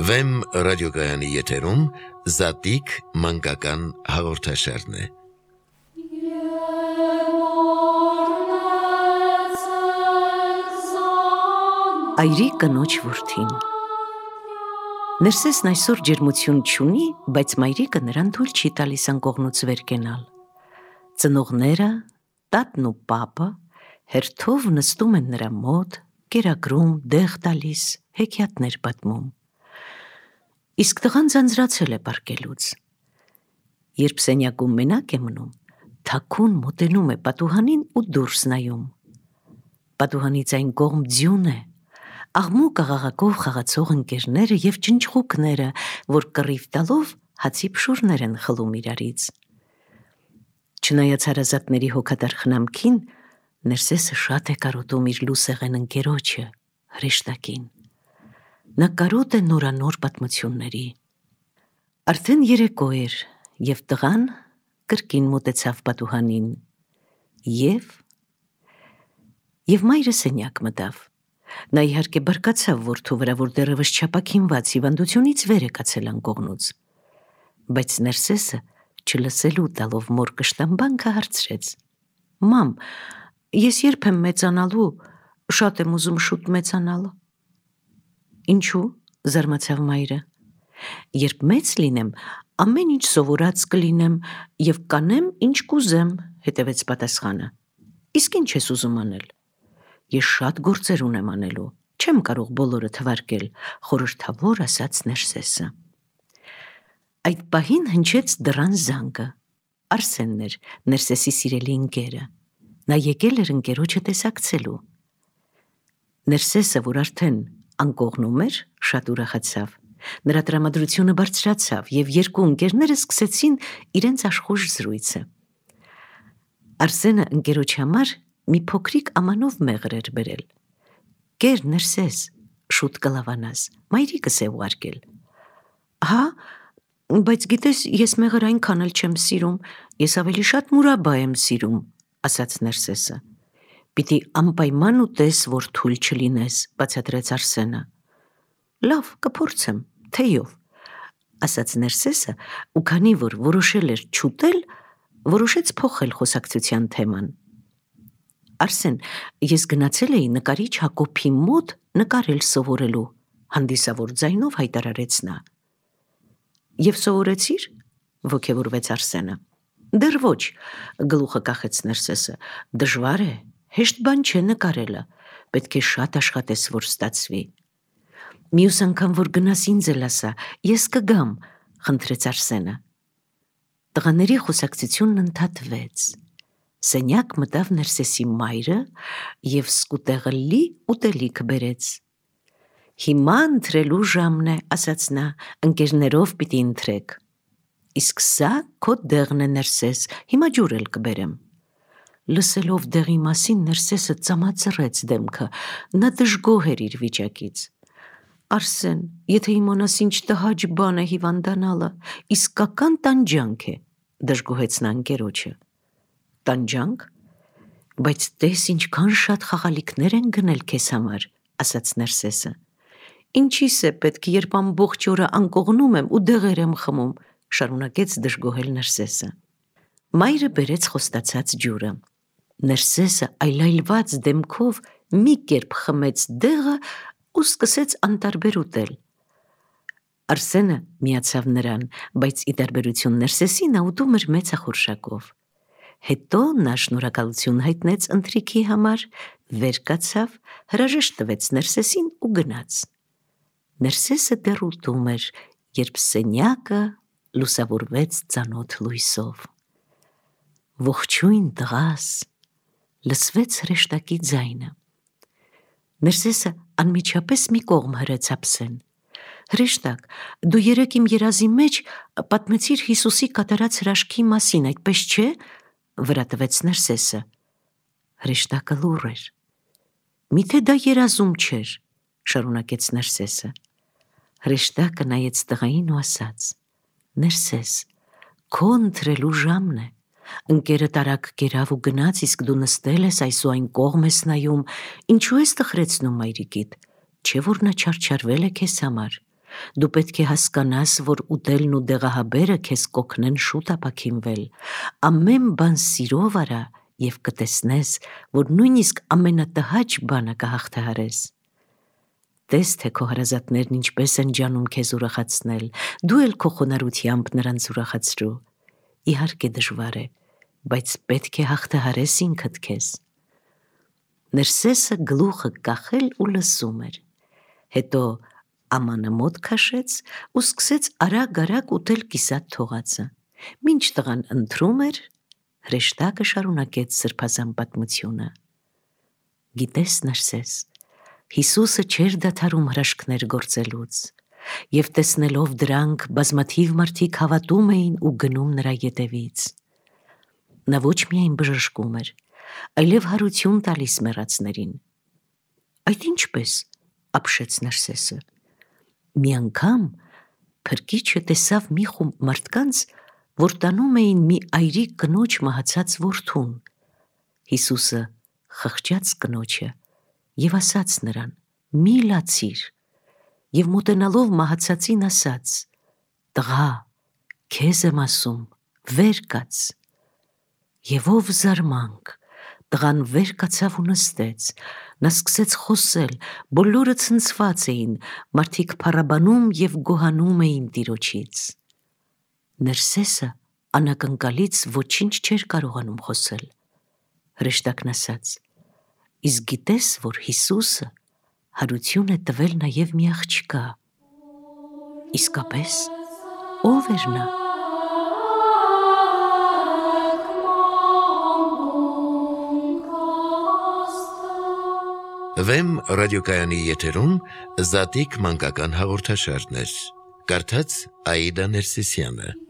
Վեմ ռադիոգայանի եթերում Զատիկ մանկական հաղորդաշարն է։ Այրի կնոջ որդին։ Ներսեսն այսօր ջերմություն չունի, բայց մայրիկը նրան թույլ չի տալիս անկողնուց վեր կենալ։ Ծնողները, տատն ու պապը հերթով նստում են նրա մոտ, կերակրում, դեղ տալիս, հեքիաթներ պատմում։ Իսկ տղան ձանձրացել է պառկելուց։ Երբ սենյակում մենակ է մնում, թաքուն մոտենում է պատուհանին ու դուրս նայում։ Պատուհանից այն կողմ ձյուն է, աղմուկ աղաղակով խաղացող ընկերները և ջնջղուկները, որ կռիվ տալով հացի փշուրներ են խլում իրարից։ Չնայած հարազատների հոգատար խնամքին, Ներսեսը շատ է կարոտում իր լուսեղեն ընկերոջը, հրեշտակին։ Նա կարոտ է նորանոր պատմությունների։ Արդեն երեկո էր, և տղան կրկին մոտեցավ պատուհանին, և մայրը սենյակ մտավ։ Նա իհարկե բարկացավ որդու վրա, որ դեռևս չապաքինված հիվանդությունից վեր է կացել անկողնուց։ Բայց Ներսեսը, չլսելու տալով մոր կշտամբանքը, հարցրեց. «Մամ, ես երբ եմ մեծանալու, շատ եմ ուզում շուտ մեծանալ»։ «Ինչու՞», զարմացավ մայրը։ «Երբ մեծ լինեմ, ամեն ինչ սովորած կլինեմ և կանեմ, ինչ կուզեմ», հետևեց պատասխանը։ «Իսկ ինչ ես ուզում անել»։ «Ես շատ գործեր ունեմ անելու, չեմ կարող բոլորը թվարկել», խորհրդավոր ասաց Ներսեսը։ Այդ պահին հնչեց դռան զանգը։ Արսենն էր, Ներսեսի սիրելի ընկերը։ Նա եկել էր ընկերոջը տեսակցելու։ Ներսեսը, որ արդեն անկողնում էր, շատ ուրախացավ։ Նրա տրամադրությունը բարձրացավ, և երկու ընկերները սկսեցին իրենց աշխույժ զրույցը։ Արսենը ընկերոջ համար մի փոքրիկ ամանով մեղր էր բերել։ «Կեր, Ներսես, շուտ կլավանաս, մայրիկս է ուղարկել»։ «Հա, բայց գիտես, ես մեղր այնքան էլ չեմ սիրում, ես ավելի շատ մուրաբա եմ սիրում», ասաց Ներսեսը։ «Պիտի անպայման ուտես, որ թույլ չլինես», բացատրեց Արսենը։ «Լավ, կփորձեմ, թեյով», ասաց Ներսեսը, ու քանի որ որոշել էր չուտել, որոշեց փոխել խոսակցության թեման։ «Արսեն, ես գնացել էի նկարիչ Հակոբի մոտ նկարել սովորելու», հանդիսավոր ձայնով հայտարարեց նա։ «Եվ սովորեցի՞ր», ոգևորվեց Արսենը։ «Դեռ ոչ», գլուխը կախեց Ներսեսը, «դժվար է, հեշտ բան չէ նկարելը, պետք է շատ աշխատես, որ ստացվի»։ «Մյուս անգամ, որ գնաս, ինձ էլ ասա, ես կգամ», խնդրեց Արսենը։ Տղաների խոսակցությունն ընդհատվեց։ Սենյակ մտավ Ներսեսի մայրը և սկուտեղը լի ուտելիք բերեց։ «Հիմա ընթրելու ժամն է», ասաց նա, «ընկերներով պիտի ընթրեք»։ «Իսկ սա քո դեղն է, Ներսես, հիմա ջուր էլ կբերեմ»։ Լսելով դեղի մասին, Ներսեսը ծամածռեց դեմքը, նա դժգոհ էր իր վիճակից։ «Արսեն, եթե իմանաս ինչ տհաճ բան է հիվանդանալը, իսկական տանջանք է», դժգոհեց նա ընկերոջը։ «Տանջանք, բայց տես ինչքան շատ խաղալիքներ են գնել քեզ համար», ասաց Ներսեսը։ «Ինչիս է պետք, երբ ամբողջ օրը անկողնում եմ ու դեղեր եմ խմում», շարունակեց դժգոհել Ներսեսը։ Մայրը բերեց խոստացած ջուրը։ Ներսեսը այլայլված դեմքով մի կերպ խմեց դեղը ու սկսեց անտարբեր ուտել։ Արսենը միացավ նրան, բայց ի տարբերություն Ներսեսի, նա ուտում էր մեծախորշակով։ Հետո նա շնորհակալություն հայտնեց ընթրիքի համար, վեր կացավ, հրաժեշտ տվեց Ներսեսին ու գնաց։ Ներսեսը դեռ ուտում էր, երբ սենյակը լուսավորվեց ծանոթ լույսով։ «Ողջույն, տղաս», լսվեց հրեշտակի ձայնը։ Ներսեսը անմիջապես մի կողմ հրեց ափսեն։ «Հրեշտակ, դու երեկ իմ երազի մեջ պատմեցիր Հիսուսի կատարած հրաշքի մասին, այդպես չէ՞, վրա տվեց Ներսեսը։ Հրեշտակը լուռ էր։ «Միթե դա երազում չէր», շարունակեց Ներսեսը։ Հրեշտակը նայեց տղային ու ասաց. «Ներսես, քո ընթրելու ժամն է։ Ընկերդ արագ կերավ ու գնաց, իսկ դու նստել ես այս ու այն կողմ ես նայում, ինչու ես տխրեցնում մայրիկիդ, չէ՞ որ նա չարչարվել է քեզ համար։ Դու պետք է հասկանաս, որ ուտելն ու դեղահաբերը քեզ կօգնեն շուտ ապաքինվել։ Ամեն բան սիրով արա եւ կտեսնես, որ նույնիսկ ամենատհաճ բանը կհաղթահարես։ Տես թե քո հարազատներն ինչպես են ջանում քեզ ուրախացնել, դու էլ քո խոնարհությամբ նրանց ուրախացրու։ Իհարկե դժվար է, բայց պետք է հաղթահարես ինքդ քեզ։ Ներսեսը գլուխը կախել ու լսում էր։ Հետո ամանը մոտ քաշեց ու սկսեց արագ-արագ ուտել կիսատ թողածը։ Մինչ տղան ընթրում էր, հրեշտակը շարունակեց սրբազան պատմությունը։ Գիտես, Ներսես, Հիսուսը չէր դադարում հրաշքներ գործելուց, եւ տեսնելով դրանք բազմաթիվ մարդիկ հավատում էին ու գնում նրա ետևից։ Նա ոչ միայն բժշկում էր, այլև հարություն տալիս մեռածներին։ Այդ ինչպես, ապշեց Ներսեսը։ Մի անգամ փրկիչը տեսավ մի խումբ մարդկանց, որ տանում էին մի այրիկ կնոջ մահացած որդուն։ Հիսուսը խղճաց կնոջը եւ ասաց նրան. «Մի լացիր», եւ մոտենալով մահացածին ասաց. «Տղա, քեզ եմ ասում, վեր կաց»։ Եվ ով զարմանք, տղան վեր կացավ ու նստեց, նա սկսեց խոսել, բոլորը ցնցված էին, մարդիկ փառաբանում եւ գոհանում էին Տիրոջից։ Ներսեսը անակնկալից ոչինչ չէր կարողանում խոսել։ Հրեշտակն ասաց. «Իսկ գիտես, որ Հիսուսը հարություն է տվել նաև մի աղջկա»։ Իսկապես, ո՞վ էր նա։ Վեմ ռադիոկայանի եթերում Զատիկ մանկական հաղորդաշարներ։ Կարդաց Աիդա Ներսիսյանը։